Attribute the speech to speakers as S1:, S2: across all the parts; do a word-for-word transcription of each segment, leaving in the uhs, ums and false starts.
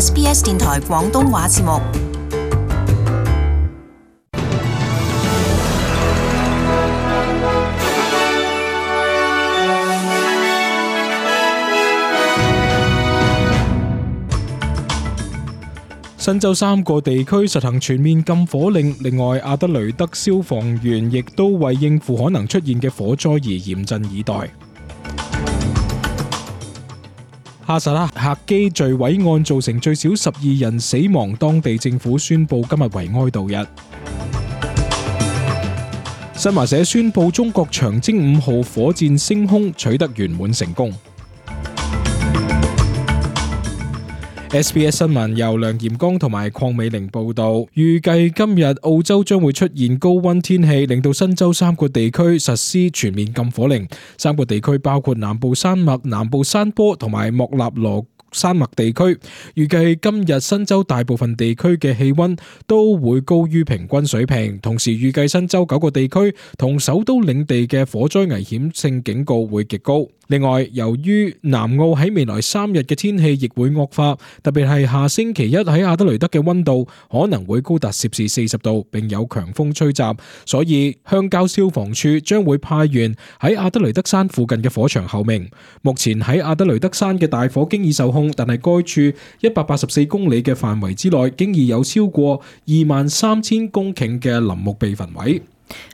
S1: S B S 電台廣東話節目。
S2: 新州三個地區實行全面禁火令，另外阿德雷德消防員亦都為應付可能出現嘅火災而嚴陣以待。哈薩克客機墜毀案造成最少十二人死亡，當地政府宣布今日為哀悼日。新華社宣布中國長征五號火箭升空取得圓滿成功。S B S 新聞由梁炎光同埋鄺美玲報道，預計今日澳洲將會出現高溫天氣，令到新州三個地區實施全面禁火令。三個地區包括南部山脈、南部山坡同埋莫納羅山脈地區，預計今日新州大部分地區嘅氣溫都會高於平均水平，同時預計新州九個地區同首都領地嘅火災危險性警告會極高。另外，由於南澳喺未來三日嘅天氣亦會惡化，特別係下星期一喺阿德雷德嘅溫度可能會高達攝氏四十度，並有強風吹襲，所以鄉郊消防處將會派員喺阿德雷德山附近嘅火場候命。目前喺阿德雷德山嘅大火經已受控，但係該處一百八十四公里嘅範圍之內，經已有超過二萬三千公頃嘅林木被焚毀。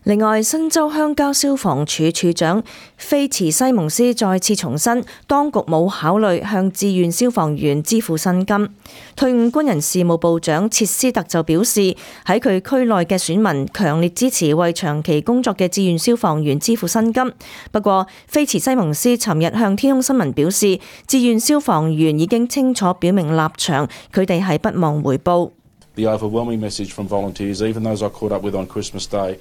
S3: 另外，新州鄉郊消防處處長菲茨西蒙斯再次重申，當局冇考慮向志願消防員支付薪金。退伍軍人事務部長切斯特就表示，喺佢區內嘅選民強烈支持為長期工作嘅志願消防員支付薪金。不過，菲茨西蒙斯尋日向天空新聞表示，志願消防員已經清楚表明立場，佢哋係不忘回報。
S4: The overwhelming message from volunteers, even those I caught up with on Christmas Day.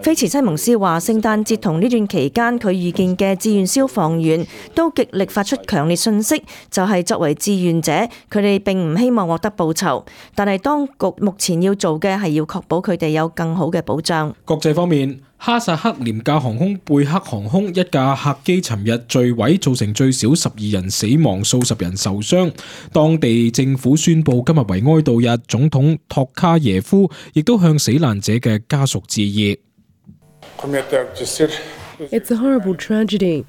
S3: 菲茨西蒙斯話：聖誕節同呢段期間，佢遇見嘅志願消防員都極力發出強烈訊息，就係作為志願者，佢哋並唔希望獲得報酬，但係當局目前要做嘅係要確保佢哋有更好嘅保障。
S2: 國際方面，哈薩克廉價航空貝克航空一架客機尋日墜毀，造成最少十二人死亡，數十人受傷。當地政府宣布今日為哀悼日，總統托卡耶夫亦都向死難者嘅家屬致意。
S5: It's a horrible tragedy.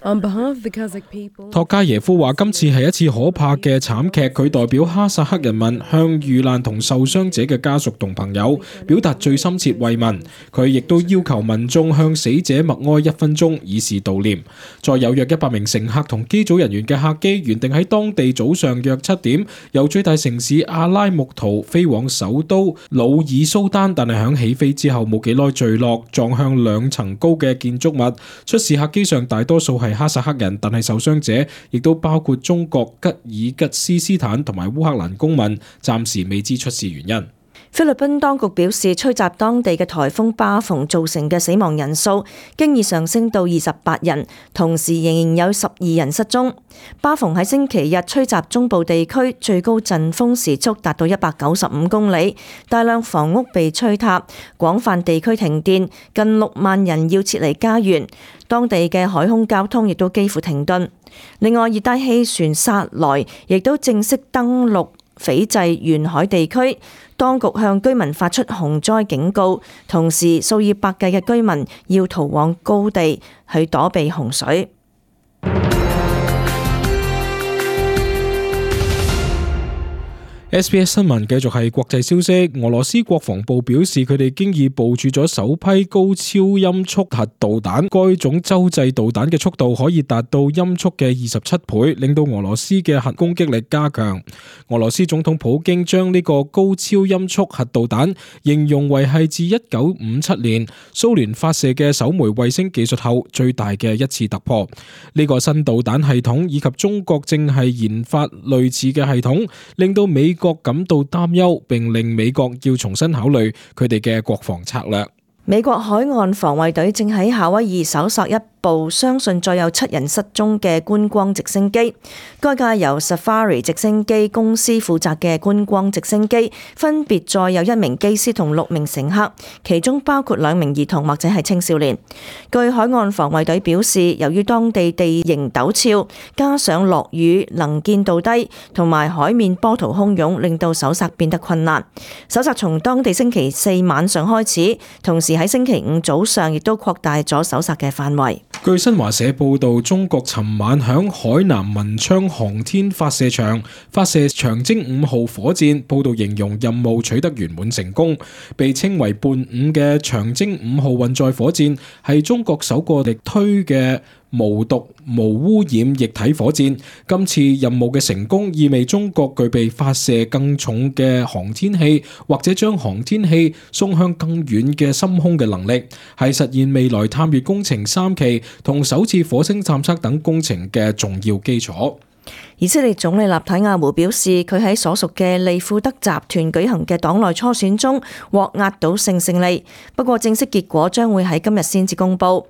S5: On behalf of the Kazakh people,
S2: 托卡耶夫話：今次係一次可怕嘅慘劇，佢代表哈薩克人民向遇難同受傷者嘅家屬同朋友表達最深切慰問。佢亦都要求民眾向死者默哀一分鐘，以示悼念。再有約一百名乘客同機組人員嘅客機原定喺當地早上約七點由最大城市阿拉木圖飛往首都努爾蘇丹，但係響起飛之後冇幾耐墜落，撞向兩層高嘅建築物。出事客機上大多數係哈薩克人，但係受傷者亦都包括中國、吉爾吉斯斯坦同埋烏克蘭公民，暫時未知出事原因。
S3: 菲律賓當局表示，吹襲當地嘅颱風巴蓬造成嘅死亡人數經已上升到二十八人，同時仍然有十二人失蹤。巴蓬喺星期日吹襲中部地區，最高陣風時速達到一百九十五公里，大量房屋被吹塌，廣泛地區停電，近六萬人要撤離家園，當地嘅海空交通亦都幾乎停頓。另外，熱帶氣旋薩萊亦都正式登陸斐濟沿海地區，當局向居民發出洪災警告，同時數以百計嘅居民要逃往高地去躲避洪水。
S2: S B S 新聞繼續係國際消息，俄羅斯國防部表示佢哋經已部署咗首批高超音速核導彈，該種洲際導彈嘅速度可以達到音速嘅二十七倍，令到俄羅斯嘅核攻擊力加強。俄羅斯總統普京將呢個高超音速核導彈形容為係自一九五七年蘇聯發射嘅首枚衛星技術後最大嘅一次突破。呢個新導彈系統以及中國正係研發類似嘅系統，令到美國國感到擔憂，並令美國要重新考慮佢哋嘅國防策略。
S3: 美國海岸防衛隊正喺夏威夷搜索一部相信再有七人失蹤嘅觀光直升機。該架由 Safari 直升機公司負責嘅觀光直升機，分別載有一名機師同六名乘客，其中包括兩名兒童或者係青少年。據海岸防衛隊表示，由於當地地形陡峭，加上落雨、能見度低，同埋海面波濤洶湧，令到搜索變得困難。搜索從當地星期四晚上開始，同時喺星期五早上亦都擴大咗搜索嘅範圍。
S2: 據新華社報道，中國尋晚響海南文昌航天發射場發射長征五號火箭，報道形容任務取得圓滿成功。被稱為伴五嘅長征五號運載火箭係中國首個力推嘅無毒無污染液體火箭。今次任務嘅成功意味中國具備發射更重嘅航天器，或者將航天器送向更遠嘅深空嘅能力，係實現未來探月工程三期同首次火星探測等工程嘅重要基礎。
S3: 以色列總理納坦雅胡表示，佢喺所屬嘅利庫德集團舉行嘅黨內初選中獲壓倒性勝利，不過正式結果將會喺今日先至公佈。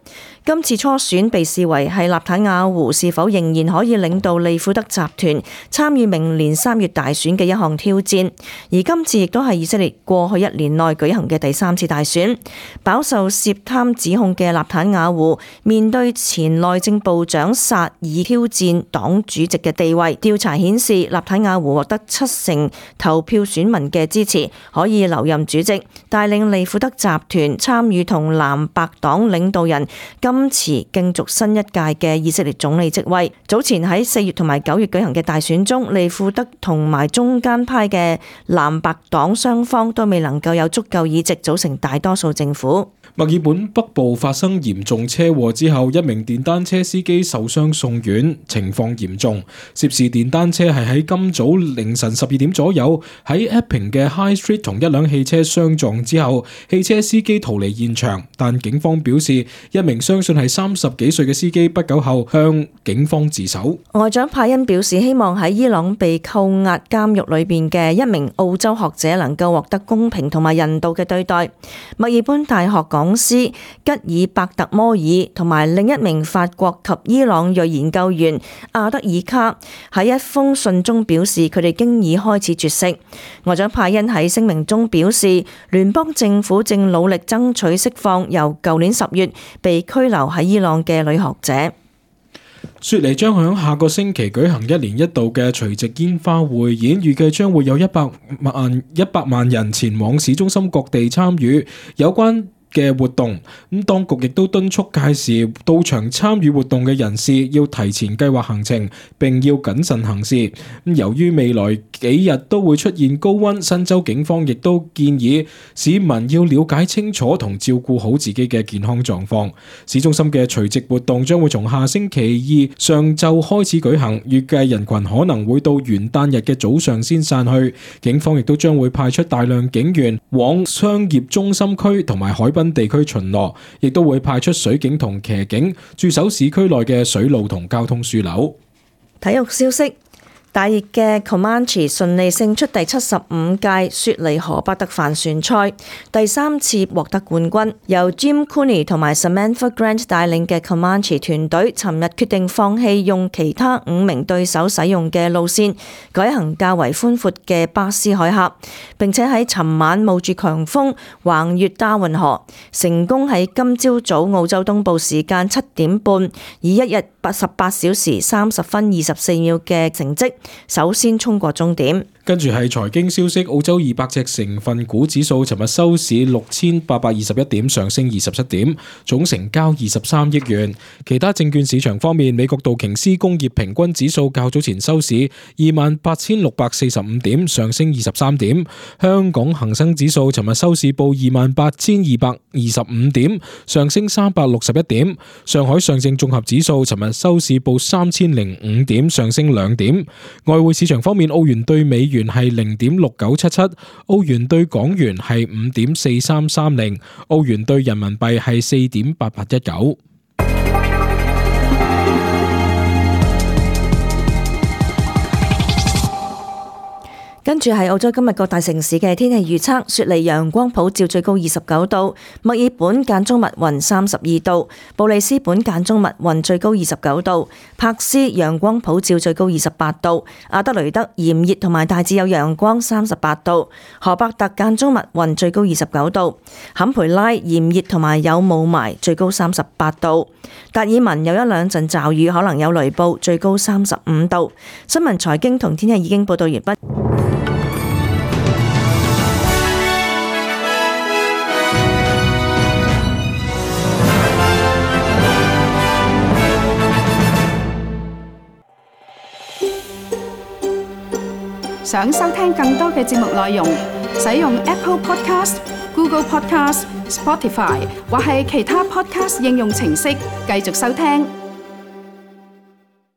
S3: 今次初選被視為係納坦雅胡是否仍然可以領導利庫德集團參與明年三月大選嘅一項挑戰，而今次亦都係以色列過去一年內舉行嘅第三次大選。飽受涉貪指控嘅納坦雅胡面對前內政部長薩爾挑戰黨主席嘅地位。調查顯示，納坦雅胡獲得七成投票選民嘅支持，可以留任主席，帶領利庫德集團參與同藍白黨領導人甘茨競逐新一屆嘅以色列總理職位。早前喺四月同埋九月舉行嘅大選中，利庫德同埋中間派嘅藍白黨雙方都未能夠有足夠議席組成大多數政府。
S2: 墨爾本北部發生嚴重車禍之後，一名電單車司機受傷送院，情況嚴重。涉事電單車係喺今早凌晨十二點左右喺 Epping 嘅 High Street 同一輛汽車相撞之後，汽車司機逃離現場，但警方表示一名相信係三十幾歲嘅司機不久後向警方自首。外長派恩表示，希望喺伊朗被扣押監獄裏邊嘅一名澳洲學者能夠獲得公平同埋人道嘅對待。墨爾本大學講師吉爾伯特摩爾同埋另一名法國及伊朗裔研究員阿德爾卡喺一封信中表示，佢哋經已開始絕食。外長派恩喺聲明中表示，聯邦政府正努力爭取釋放由舊年十月被拘留喺伊朗嘅女學者。雪梨將響下個星期舉行一年一度嘅除夕煙花匯演，預計將會有一百萬一百萬人前往市中心各地參與有關嘅活動。咁當局亦都敦促屆時到場參與活動嘅人士要提前計劃行程，並要謹慎行事。咁由於未來幾日都會出現高溫，新州警方亦都建議市民要了解清楚同照顧好自己嘅健康狀況。市中心嘅除夕活動將會從下星期二上晝開始舉行，預計人群可能會到元旦日嘅早上先散去。警方亦都將會派出大量警員往商業中心區同埋海濱地區巡邏，亦都會派出水警同騎警駐守市區內嘅水路同交通樞紐。體育消息。大熱嘅 Comanche 順利勝出第七十五屆雪梨河北特帆船賽，第三次獲得冠軍。由 Jim Cooney 同埋 Samantha Grant 帶領嘅 Comanche 團隊，尋日決定放棄用其他五名對手使用嘅路線，改行較為寬闊嘅巴斯海峽，並且喺尋晚冒住強風橫越達運河，成功喺今朝早澳洲東部時間七點半，以一日八十八小時三十分二十四秒嘅成績，首先衝過終點。跟住係財經消息，澳洲二百隻成分股指數尋日收市六千八百二十一點，上升二十七點，總成交二十三億元。其他證券市場方面，美國道瓊斯工業平均指數較早前收市二萬八千六百四十五點，上升二十三點。香港恒生指數尋日收市報二萬八千二百二十五點，上升三百六十一點。上海上證綜合指數尋日收市報三千零五點，上升兩點。外匯市場方面，澳元對美元係零點六九七七，澳元對港元係五點四三三零，澳元對人民幣係四點八八一九。
S3: 跟住係澳洲今日各大城市嘅天氣預測：雪梨陽光普照，最高二十九度；墨爾本間中密雲，三十二度；布里斯本間中密雲，最高二十九度；柏斯陽光普照，最高二十八度；阿德雷德炎熱同埋大致有陽光，三十八度；荷伯特間中密雲，最高二十九度；坎培拉炎熱同埋有霧霾，最高三十八度；達爾文有一兩陣驟雨，可能有雷暴，最高三十五度。新聞財經同天氣已經報道完畢。
S6: 想收聽更多嘅節目內容，使用 Apple Podcast、Google Podcast、Spotify 或係其他 Podcast 應用程式繼續收聽。